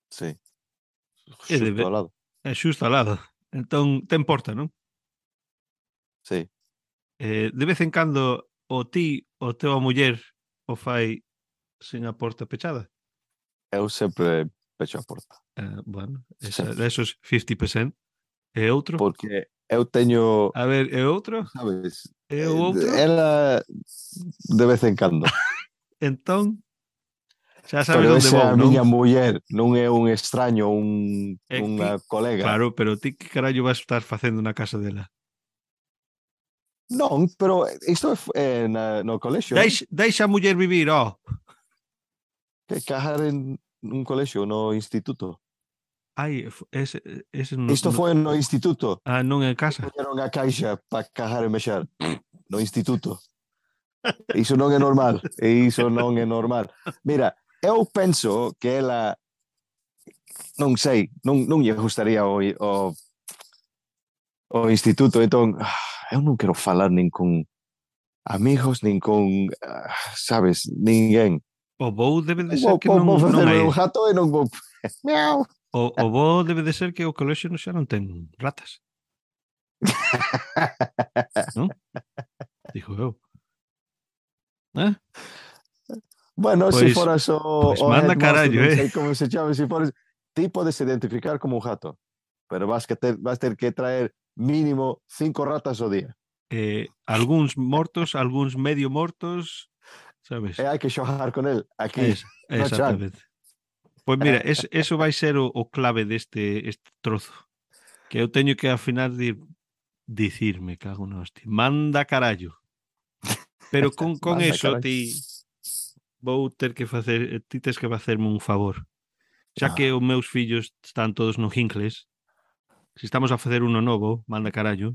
Sí, É, xusto de, ao lado. é xusto ao lado. Entón, te importa, non? Sí, Eh, de vez en cando o ti, o teu a muller o fai sen a porta pechada. eu sempre pecho a porta. Eh, bueno, esa, Sempre. esos cincuenta por ciento. E outro? Porque eu teño, A ver, e outro? sabes, E o eh, outro? ela de vez en cando. Entón, xa sabes Pero onde esa é vou, a non? miña muller, non é un extraño, un, É ti, unha colega. claro, pero ti que carallo vas estar facendo na casa dela? Non, pero isto é, é na, no colexio, non? Deixa, deixa a muller vivir, ó. Que cajar en un colexio, no instituto. Ai, f- ese, ese no, Isto no, foi no instituto. ah, non é Que casa. poñeron a caixa para cajar e mexer. No instituto. Iso non é normal. E iso non é normal. Mira, eu penso que ela, non sei, non, non lle gustaría o, o, o instituto, entón, ah, eu non quero falar nin con amigos, nin con, ah, sabes, ninguén. O vou debe de ser Vou, que vou, non, vou non facerme hai. un jato e non vou... Miau. O, o vou debe de ser que o colexio non xa non ten ratas, non? Digo eu. Eh? Bueno, se si Pois, foras o, pois o manda headmaster, carallo, non eh? sei como se chama, se si foras, ti podes identificar como un jato, pero vas, que ter, vas ter que traer mínimo cinco ratas ao día. Eh, algúns mortos, algúns medio mortos, E sabes? hai que xogar con el aquí, Es, no chan. exactamente. Pois mira, es, eso vai ser o, o clave deste este trozo. Que eu teño que ao final de dicirme, cago na hostia. Manda carallo. Pero con, con Manda, eso carai. ti vou ter que facer, ti tes que facerme un favor. Xa que Ah, os meus fillos están todos no Hincles, se estamos a facer uno novo, manda carallo,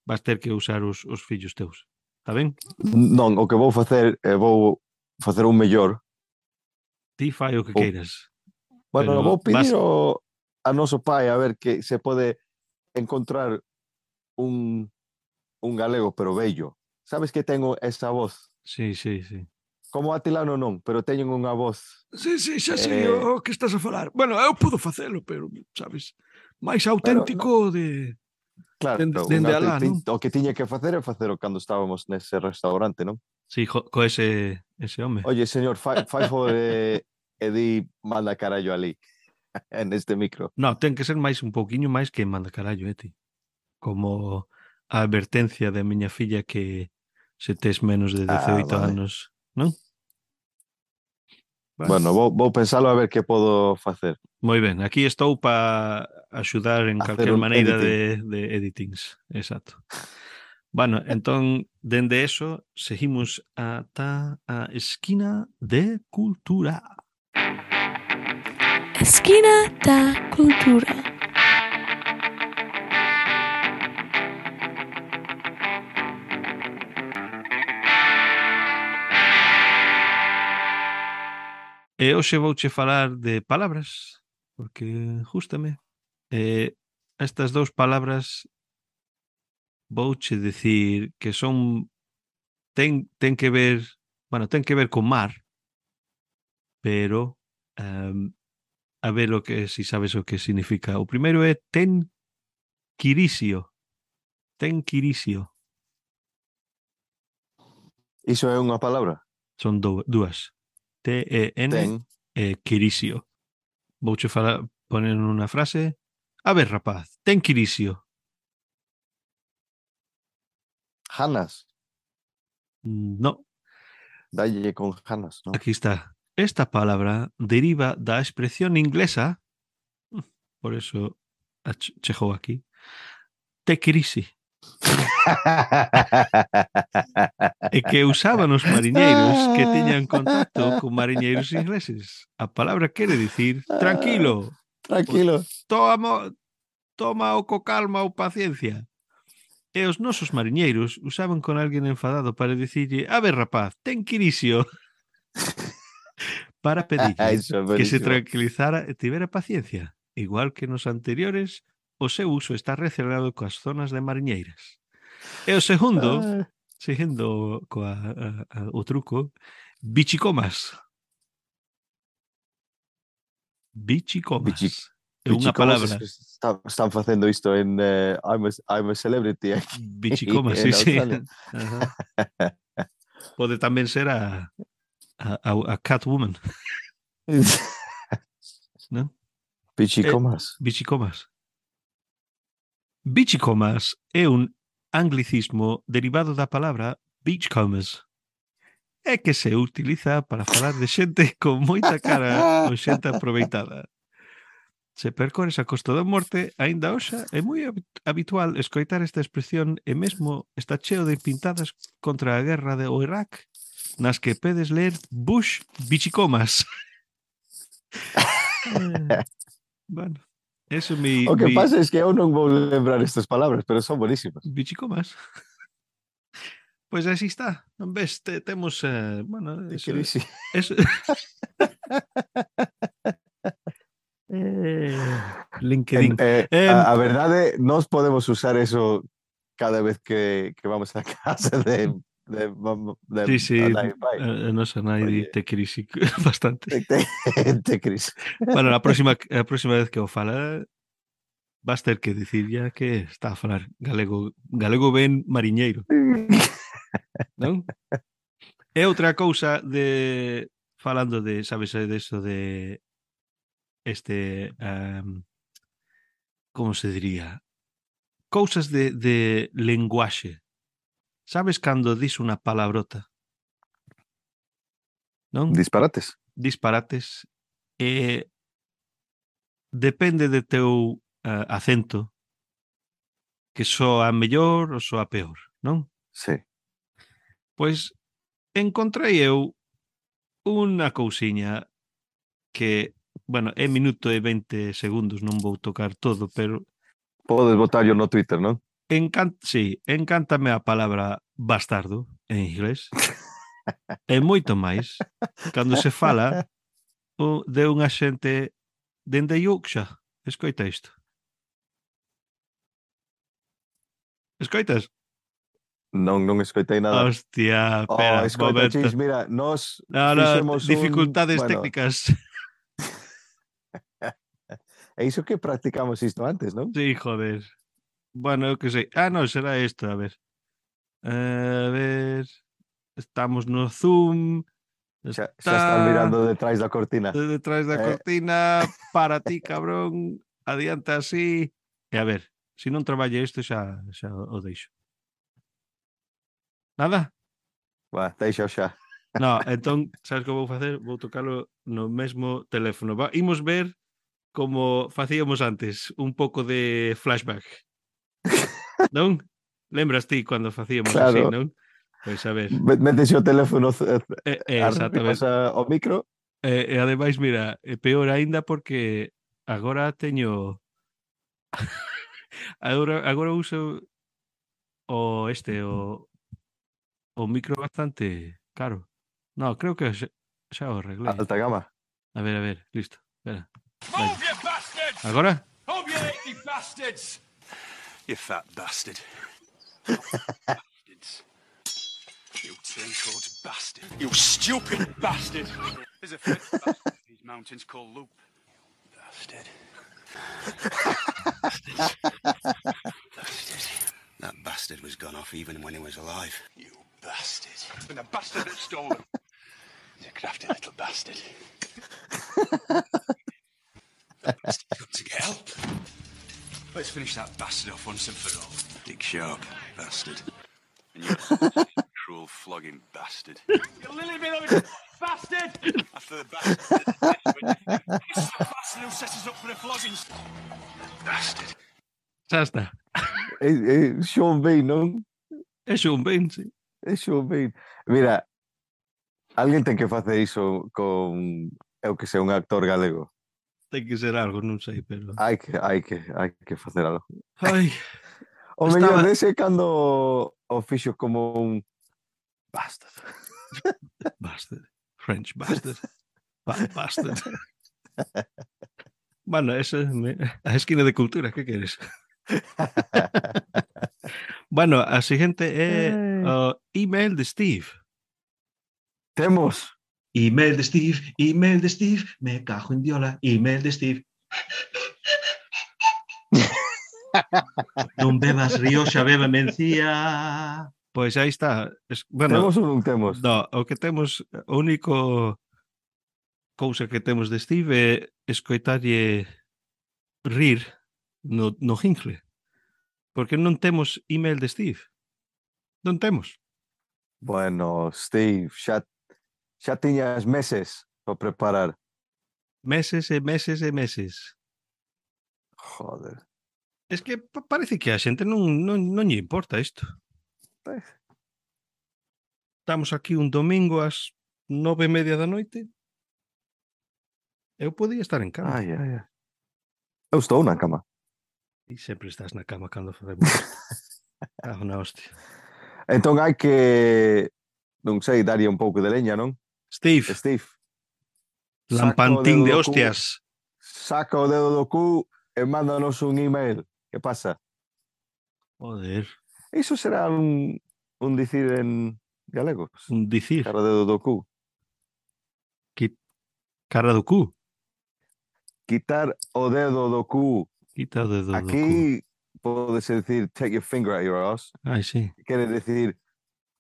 vas ter que usar os, os fillos teus. Está ben? non, o que vou facer é vou facer un mellor. Ti fai o que Vou, queiras. bueno, Pero vou vas... pedir o, a noso pai a ver que se pode encontrar un, un galego, pero bello. Sabes que tengo esa voz? Sí, sí, sí. Como Atilano non, pero teñen unha voz. Sí, sí, xa sei Eh, o que estás a falar. Bueno, eu podo facelo, pero, sabes, máis pero no, auténtico de claro, dende, un dende aute- alá, ti- non? o que tiña que facer é facelo cando estábamos nese restaurante, non? Sí, jo, co ese, ese home. Oye, señor, fai, fai favor e, e di manda carallo ali, en este micro. No, ten que ser máis un pouquiño máis que manda carallo, eh, ti. Como a advertencia da miña filla que se tes menos de Ah, dezaoito vale. anos, non? Bueno, Bueno, vou, vou pensalo a ver que podo facer. moi ben, aquí estou para axudar en Hacer calquer un maneira editing. de, de editings, exacto. Bueno, entón, dende eso, seguimos ata a esquina de cultura. Esquina da Cultura. E hoxe vouche falar de palabras, porque justame. Eh, estas dous palabras vouche decir que son ten, ten que ver, bueno, ten que ver con mar, pero um, A ver o que, si sabes o que significa. O primeiro é ten quirisio. Ten quirisio. Iso é unha palabra? Son do, dúas. T E N Ten. e quirisio. Vouche falar, poner unha frase. A ver, rapaz, ten quirisio. Janas. No, Dalle con Janas, ¿no? aquí está. Esta palabra deriva da expresión inglesa, por eso ach- chegou aquí, te crisi, e que usaban os mariñeiros que tiñan contacto con mariñeiros ingleses. A palabra quere dicir tranquilo, Tranquilo. toma, toma o co calma ou paciencia. E os nosos mariñeiros usaban con alguén enfadado para dicirlle, a ver, rapaz, ten quirisio, para pedirlle Iso é que se buenísimo. tranquilizara e tivera paciencia. Igual que nos anteriores, o seu uso está relacionado coas zonas de mariñeiras. E o segundo, Ah, seguindo coa, a, a, o truco, bichicomas. Bichicomas. Bichi- É unha Bichicomos palabra. está, están facendo isto en uh, I'm, a, I'm a Celebrity aquí Bichicomas, sí, en sí. Australia. Ajá. Pode tamén ser a, a, a, a Catwoman, non? Bichicomas. Bichicomas. Bichicomas é un anglicismo derivado da palabra beachcombers. É que se utiliza para falar de xente con moita cara ou xente aproveitada. Se percores a Costa da Morte, aínda hoxa é moi habitual escoitar esta expresión e mesmo está cheo de pintadas contra a guerra do Irak nas que pedes ler Bush bichicomas. eh, bueno, eso mi, O que mi pasa es que eu non vou lembrar estas palabras, pero son buenísimas. bichicomas. Pois así está. Non ves, te, temos eh, bueno, Te eso, crisi. eso... eh, LinkedIn. Eh, Eh, a, a verdade, nós podemos usar eso cada vez que, que vamos a casa de, de, de, sí, sí, a nai pai. a, a nosa nai Oye. te crisi bastante. Te, te, te crisi. Bueno, a próxima, a próxima vez que o fala vas ter que dicir ya que está a falar galego, galego ben mariñeiro, non? É outra cousa de falando de, sabes, de eso de este um, como se diría? Cousas de, de lenguaxe. Sabes cando dis unha palabrota? Non? Disparates. Disparates. E depende de teu uh, acento que soa mellor ou soa peor, non? Sí. Pois encontrei eu unha cousiña que, bueno, é minuto e veinte segundos, non vou tocar todo, pero Podes botarlo no Twitter, non? encanta, sí, encántame a palabra bastardo en inglés. E moito máis cando se fala o, de unha xente dende Yorkshire. Escoita isto. Escoitas? Non, non escoitei nada. Hostia, Oh, espera, escoita, momento. Chis, mira, nos No, no, fixemos dificultades un... Bueno, técnicas. e iso que practicamos isto antes, non? Sí, joder. Bueno, eu que sei. Ah, no, será isto, a ver. A ver... Estamos no Zoom. Xa, Está xa estás mirando detrás da cortina. detrás da Eh. cortina. Para ti, cabrón. Adianta así. E a ver, se non traballe isto xa, xa o deixo. Nada? Va, deixa xa. No, entón, sabes que vou facer? Vou tocalo no mesmo teléfono. Va, imos ver como facíamos antes, un pouco de flashback. Non? Lembras ti cando facíamos Claro. así, non? Pois a ver. Metes o teléfono Eh, eh, exactamente. o micro. E, e ademais, mira, é peor aínda porque agora teño agora, agora uso o este, o o micro bastante caro. No, creo que xa, xa o arreglei. Alta gama. A ver, a ver, listo. Espera. Move, you bastards! Agora? Move, you lazy bastards! You fat bastard. Bastards. You turncoat bastard. You stupid bastard. There's a fifth bastard in these mountains called Loop. Bastard. Bastard. That bastard was gone off even when he was alive. You bastard. And the bastard that stole him. He's a crafty little bastard. Bastard got to get help. Let's finish that bastard off once and for all. Dick Sharp, bastard. And you cruel flogging bastard. You lily beloved bastard! After the bastard. This is the bastard who sets us up for the floggings. Bastard. Já está. É, é Sean Bean, non? É Sean Bean, sí. É Sean Bean. Mira, alguén ten que facer iso con, eu que sei, un actor galego. Ten que ser algo, non sei, pero... Hai que, hai que, hai que facer algo. Ai, O Estaba- mellor dese cando o fixo como un bastard. bastard. French bastard. Ba- bastard. Bueno, esa é me- a esquina de cultura, que queres? Bueno, a seguinte é Ai. o email de Steve. Temos. Email de Steve, email de Steve, me cajo en diola, email de Steve. Non bebas Rioxa, beba mencía. Pois aí está. Es, bueno, Temos ou non temos? no, o que temos, o único cousa que temos de Steve é escoitarlle rir no, no jingle. Porque non temos email de Steve. Non temos. Bueno, Steve, xa, xa tiñas meses para preparar. Meses e meses e meses. Joder. Es que pa- parece que a xente non, non, non lle importa isto. Pois. Estamos aquí un domingo ás nove e media da noite. Eu podía estar en cama. Ai, ai, ai. Eu estou na cama. E sempre estás na cama cando facemos isto. Ah, na hostia. Entón hai que, non sei, darlle un pouco de leña, non? Steve, Steve, lampantín de saca o dedo do cu, hostias. saca o dedo do cu e mándanos un email. Que pasa? Joder, Iso será un, un dicir en galego. un dicir. Cara o dedo do cu. Cara do cu. Quitar o dedo do cu. Quita o dedo do cu. Aquí podes decir take your finger out your ass. Ai, sí. Quere decir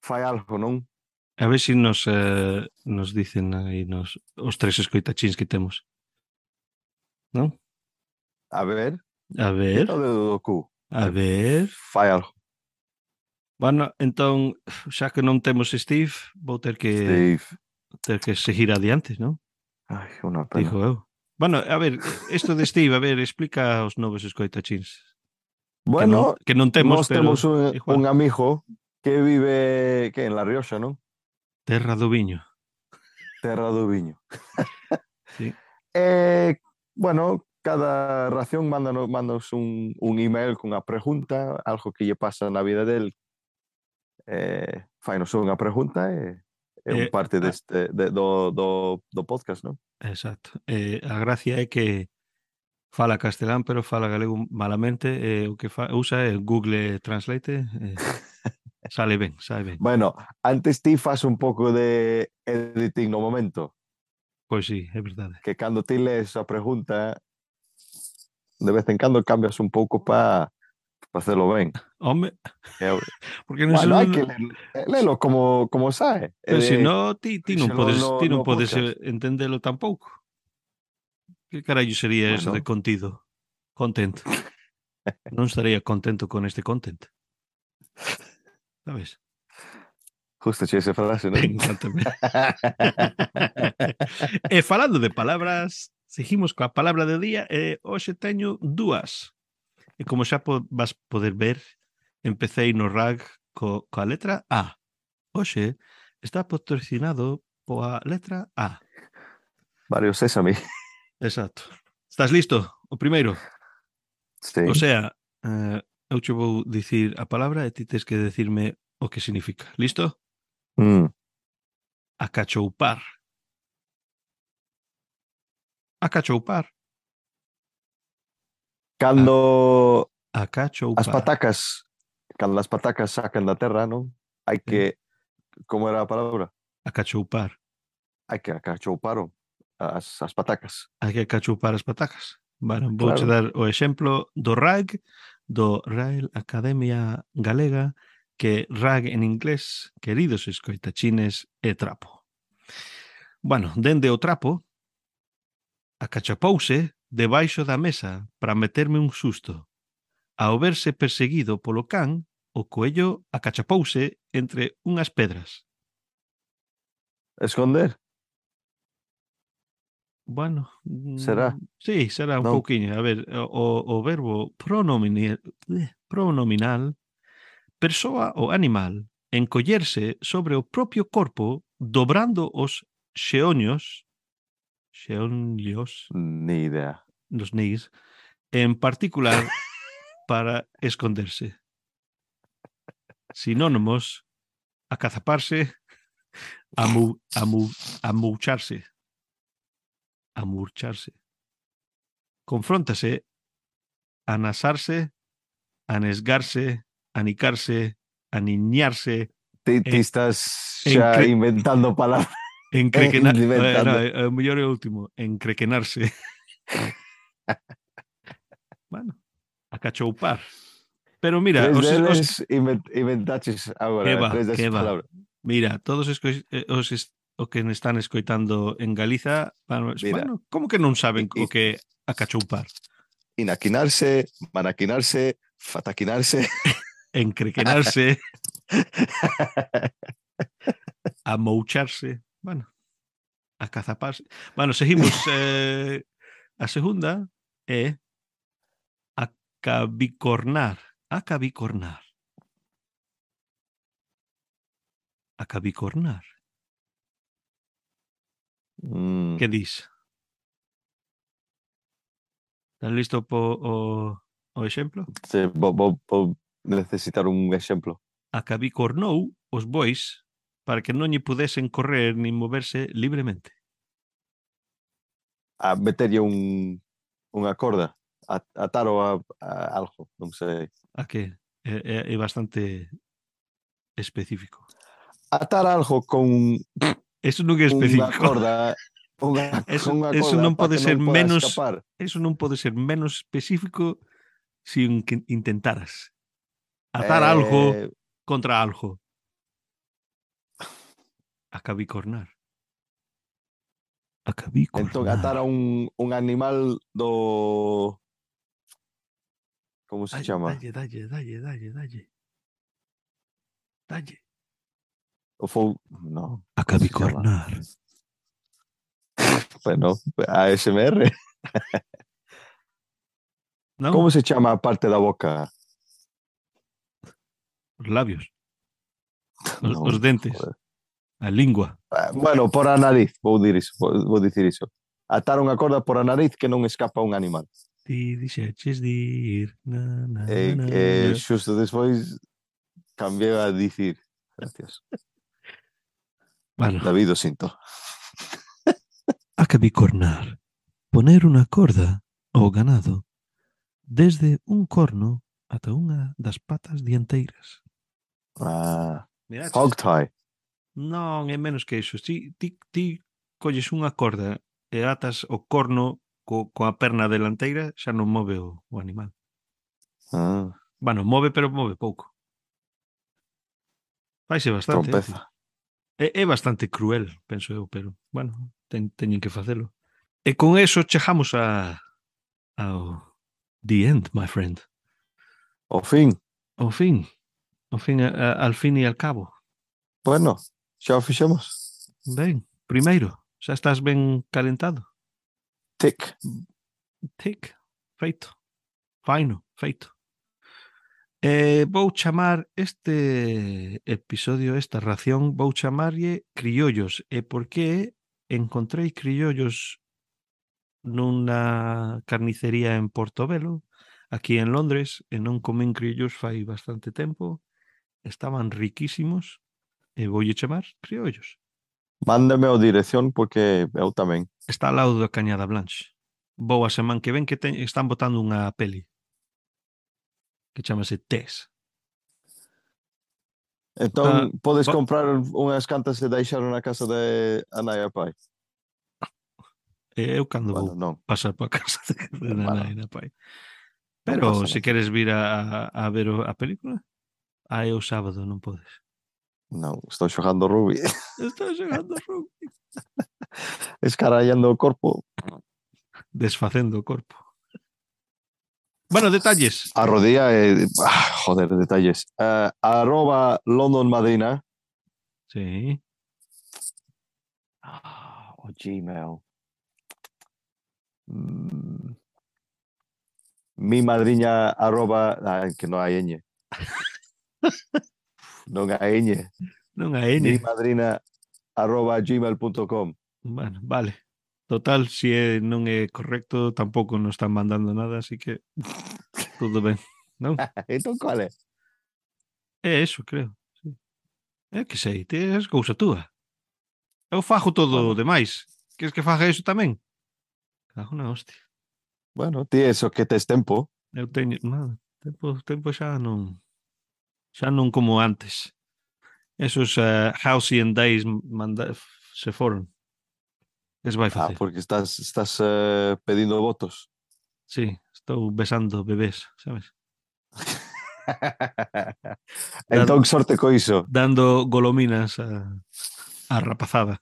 fai algo, non? A ver se si nos, eh, nos dicen aí nos, os tres escoitachins que temos. Non? A ver, A ver, quita o dedo do cu. a ver. Fai algo. Bueno, entón, xa que non temos Steve, vou ter que Steve. ter que seguir adiante, non? Ai, unha pena. Digo eu. Bueno, a ver, isto de Steve, a ver, explica aos novos escoitachins. Bueno, que non, que non temos, nós pero temos un, igual. un amigo que vive que en La Rioxa, non? Terra do Viño. Terra do Viño. Sí. E, bueno, cada ración mándanos, mándanos un, un email cunha pregunta, algo que lle pasa na vida del. Eh, fainos unha pregunta e é un Eh, parte ah. deste, de, do, do, do podcast, non? Exacto. Eh, a gracia é que fala castelán, pero fala galego malamente, e o que fa, usa é Google Translate, eh, sale ben, sale ben. Bueno, antes ti fas un pouco de editing no momento, Pois sí, é verdade. que cando ti lees a pregunta, de vez en cando cambias un pouco para pa facelo ben. Home, Eu, porque non bueno, se hai que lelo, lelo como, como sae. Pero Eh, se no, ti, ti non díselo podes, no- ti non no podes podcast. eh, entendelo tampouco. Que carallo sería eso Bueno. de contido? Content. Non estaría contento con este content. Sabes? Justo che esa frase, non? Encántame. E falando de palabras, seguimos coa palabra do día e hoxe teño dúas. E como xa po, vas poder ver, empecéi no rag co, coa letra A. Hoxe está patrocinado poa letra A. Mario Sésame. Exacto. Estás listo? O primeiro. Sí. O sea, eh, eu che vou dicir a palabra e ti tes que decirme o que significa. Listo? Mm. Acachoupar. Acachoupar. Cando Acachoupar. as patacas, cando as patacas sacan da terra, non? Hai que, como era a palabra? Acachoupar. Hai que acachouparo as, as patacas. Hai que acachoupar as patacas. Bueno, vouche Claro. dar o exemplo do R A G, do Real Academia Galega, que R A G en inglés, queridos escoitachines, é trapo. Bueno, dende o trapo, acachapouse debaixo da mesa para meterme un susto. Ao verse perseguido polo can, o coello acachapouse entre unhas pedras. Esconder? Bueno, Será? mm, sí, será un Non. pouquiño. A ver, o, o verbo pronominal, pronominal persoa o animal encollerse sobre o propio corpo dobrando os xeoños, xeonllos, Ni idea. los nis, en particular para esconderse. Sinónimos: acazaparse, amu, amu, amoucharse, amurcharse. Confróntase, anasarse, anesgarse, anicarse, aniñarse, Ti, ti en, estás en xa cre- inventando palabras. encrequenar, eh, Inventando. no, eh, o mellor é o último, encrequenarse. Bueno, acachoupar. Pero mira, Tres os, os, deles invent, inventaches que agora, va, tres que desas va. palabras. Mira, todos os, que- eh, os es- o que me están escoitando en Galiza, bueno, Mira, bueno, como que non saben i- o que é acachoupar? Inaquinarse, manaquinarse, fataquinarse. Encrequenarse, amoucharse, bueno, acazaparse. Bueno, seguimos. Eh, a segunda é acabicornar. Acabicornar. Acabicornar. Mm, Que dis? Estás listo po o, o exemplo? sí, vou, vou, vou necesitar un exemplo. Acabicornou os bois para que non lle pudesen correr nin moverse libremente. A meterlle un, unha corda, a, ataro a, a algo, non sei. A que é, é, é bastante específico. Atar algo con Eso non é unha específico. corda, unha, Eso, unha eso corda non para pode que ser non poda menos escapar. eso non pode ser menos específico se si que intentaras atar Eh, algo contra algo. Acabicornar. Acabicornar. entón, atar a un, un animal do... Como se Dalle, chama? dalle, dalle, dalle, dalle, dalle. Dalle. O fou... No. Acabicornar. Bueno, A S M R. Non? Como se chama a parte da boca? Os labios. Os, Non, os dentes. joder. A lingua. Ah, bueno, por a nariz, vou dir iso, vou, vou dicir iso. Atar unha corda por a nariz que non escapa un animal. Ti dixeches dir na, na, E, na, e na. xusto despois cambiei a dicir. Gracias. Bueno, David, o sinto. acabicornar. Poner unha corda ao ganado desde un corno ata unha das patas dianteiras. Ah, Miraches? hog tie. Non, é menos que iso. Ti, ti, ti colles unha corda e atas o corno co, coa perna delanteira, xa non move o, o animal. Ah, Bueno, move, pero move pouco. Faise bastante. Eh? trompeza. É, é bastante cruel, penso eu, pero, bueno, ten, teñen que facelo. E con eso chegamos a ao the end, my friend. O fin. Ao fin. Ao fin, a, a, al fin e al cabo. Bueno, xa o fixemos. Ben, primeiro, xa estás ben calentado. Tic. Tic, feito. Faino, feito. Eh, vou chamar este episodio, esta ración, vou chamarlle criollos. E por que encontrei criollos nunha carnicería en Portobelo, aquí en Londres, e non comín criollos fai bastante tempo. Estaban riquísimos e voulle chamar criollos. Mándame a dirección porque eu tamén. Está ao lado da Cañada Blanche. Vou a semana que ven que te, están botando unha peli que chamase Tess. Entón, Ah, podes va- comprar unhas cantas e deixar na casa de Anaya Pai. E eu cando Bueno, vou non, pasar para casa de, de Bueno, nai e na pai. non Pero pasa se nada. queres vir a, a ver o- a película, aí o sábado non podes. Non, estou xogando rugby. Estás xogando rugby. Escarallando o corpo. Desfacendo o corpo. Bueno, detalles. A rodilla e... ah, joder, detalles. Eh, arroba London Madrina. Sí. Ah, o Gmail. Mm, mi madriña arroba... Ah, que non hai ñ. Non hai ñ. Non hai Mi N. madrina arroba gmail punto com. Bueno, vale. Total, si é, non é correcto, tampouco nos están mandando nada, así que tudo ben, non? Entón, cual é? É eso, creo. Sí. É que sei, te é cousa túa. Eu fajo todo o Bueno. demais. Queres que faga iso tamén? Cago na hostia. Bueno, ti eso que tes tempo. Eu teño... Nada, tempo, tempo xa non... Xa non como antes. Esos uh, halcyon days manda... se foron. Es vai Ah, facer. porque estás, estás eh, pedindo votos. Sí, estou besando bebés, sabes? Entón, sorte co iso. Dando golominas a, a rapazada.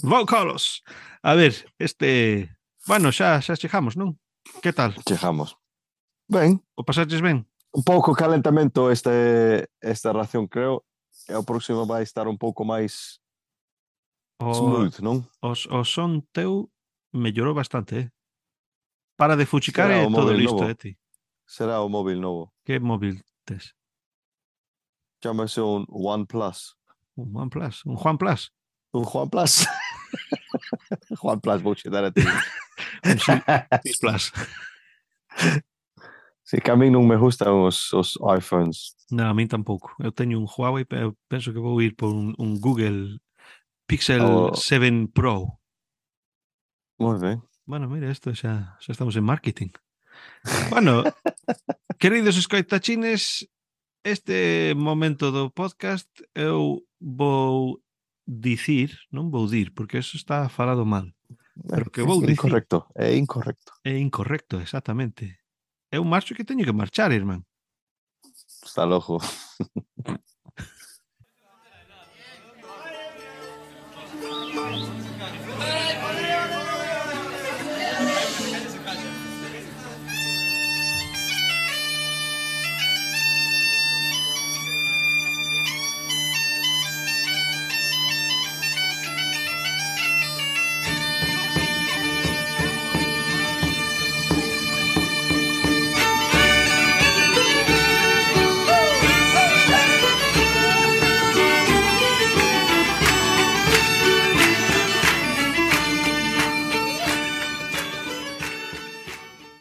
Vou Carlos. A ver, este... Bueno, xa, xa chegamos, non? Que tal? Chegamos. Ben, O pasaches ben? un pouco calentamento este, esta ración, creo. E o próximo vai estar un pouco máis O, smooth, non? os, o son teu mellorou bastante, eh? Para de fuchicar Será e o todo móvil listo, novo. eh, ti? Será o móvil novo. Que móvil tes? Chámase un OnePlus. Un OnePlus? Un Juan Plus? Un Juan Plus. Juan Plus, vou che dar a ti. Un X Plus? Si que a mí non me gustan os, os iPhones. Non, a min tampouco. Eu teño un Huawei, pero penso que vou ir por un, un Google Pixel O- sete Pro. Moi ben. Bueno, mira, isto xa, xa estamos en marketing. Bueno, queridos escoitachines, este momento do podcast eu vou dicir, non vou dir, porque eso está falado mal. Pero que vou É dicir. incorrecto, é incorrecto. É incorrecto, exactamente. É un marcho que teño que marchar, irmán. Está lojo.